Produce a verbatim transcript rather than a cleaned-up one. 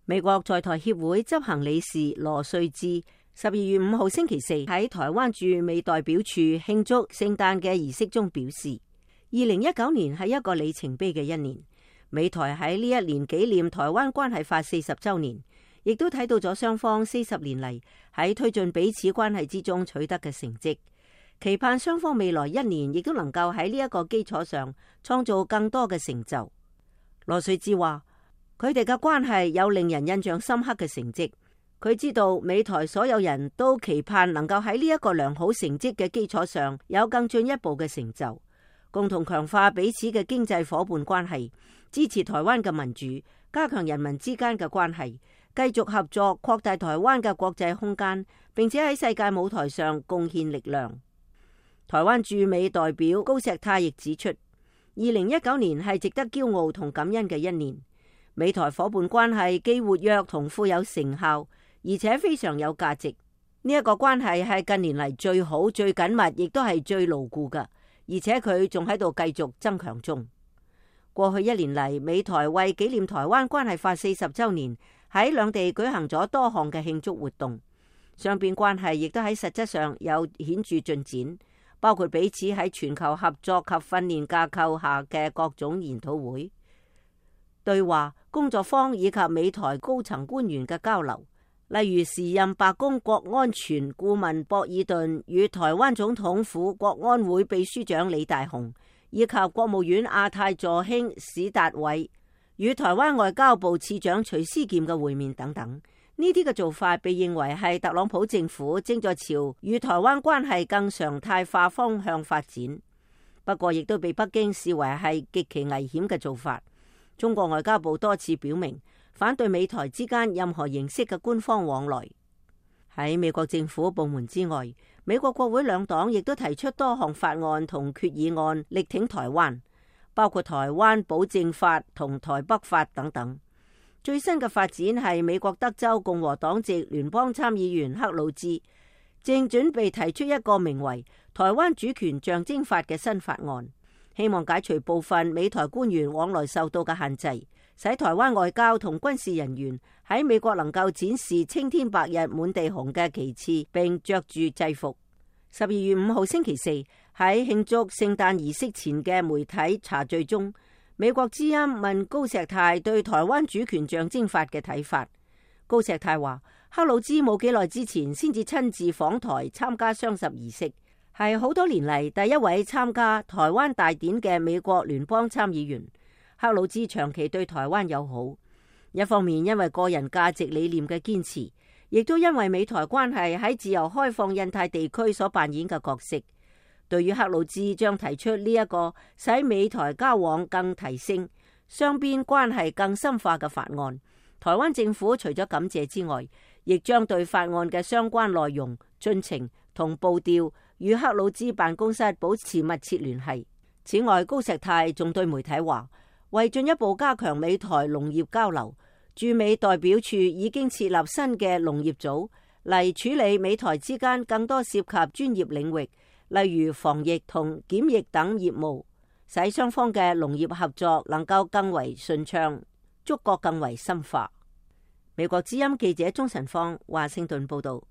美國在台協會執行理事羅瑞智十二月五號星期四喺台灣駐美代表處慶祝聖誕嘅儀式中表示，二零一九年係一個里程碑嘅一年。美台喺呢一年紀念台灣關係法四十周年，亦都睇到咗雙方四十年嚟喺推進彼此關係之中取得嘅成績，期盼雙方未來一年亦都能夠喺呢一個基礎上創造更多嘅成就。羅瑞智話，佢哋嘅關係有令人印象深刻嘅成績。佢知道美台所有人都期盼能夠喺呢一個良好成績嘅基礎上有更進一步嘅成就，共同強化彼此嘅經濟夥伴關係，支持台灣嘅民主，加強人民之間嘅關係，繼續合作擴大台灣嘅國際空間，並且喺世界舞台上貢獻力量。台灣駐美代表高石泰亦指出，二零一九年係值得驕傲同感恩嘅一年。美台夥伴關係既活躍同富有成效，而且非常有價值。呢一個關係係近年嚟最好、最緊密，亦都係最牢固嘅，而且佢仲喺度繼續增強中。過去一年嚟，美台為紀念台灣關係法四十週年，喺兩地舉行咗多項嘅慶祝活動，雙邊關係亦都喺實質上有顯著進展，包括彼此喺全球合作及訓練架構下嘅各種研討會、對話、工作坊以及美台高層官員嘅交流。例如時任白宮國安全顧問博爾頓與台灣總統府國安會秘書長李大雄，以及國務院亞太助卿史達偉與台灣外交部次長徐思儉嘅會面等等。呢啲嘅做法被認為係特朗普政府正在朝與台灣關係更常態化方向發展，不過亦都被北京視為係極其危險嘅做法。中國外交部多次表明反對美台之間任何形式嘅官方往來。喺美國政府部門之外，美國國會兩黨亦都提出多項法案同決議案力挺台灣，包括台灣保證法同台北法等等。最新嘅發展係美國德州共和黨籍聯邦參議員克魯茲正準備提出一個名為台灣主權象徵法嘅新法案，希望解除部分美台官員往來受到嘅限制，使台灣外交同軍事人員喺美國能夠展示青天白日滿地紅嘅旗幟，並着住制服。十二月五號星期四喺慶祝聖誕儀式前嘅媒體茶敘中，美國之音問高石泰對台灣主權象徵法嘅睇法。高石泰話，克魯茲冇幾耐之前先至親自訪台參加雙十儀式，係好多年嚟第一位參加台灣大典嘅美國聯邦參議員。克魯茲長期對台灣友好，一方面因為個人價值理念嘅堅持，亦都因為美台關係喺自由開放印太地區所扮演嘅角色。對於克魯茲將提出呢一個使美台交往更提升、雙邊關係更深化嘅法案，台灣政府除咗感謝之外，亦將對法案嘅相關內容、進程同步調與克魯茲辦公室保持密切聯繫。此外，高石泰仲對媒體話，為進一步加強美台農業交流，駐美代表處已經設立新嘅農業組嚟處理美台之間更多涉及專業領域，例如防疫同檢疫等業務，使雙方嘅農業合作能夠更為順暢，觸覺更為深化。美國之音記者鍾晨芳華盛頓報道。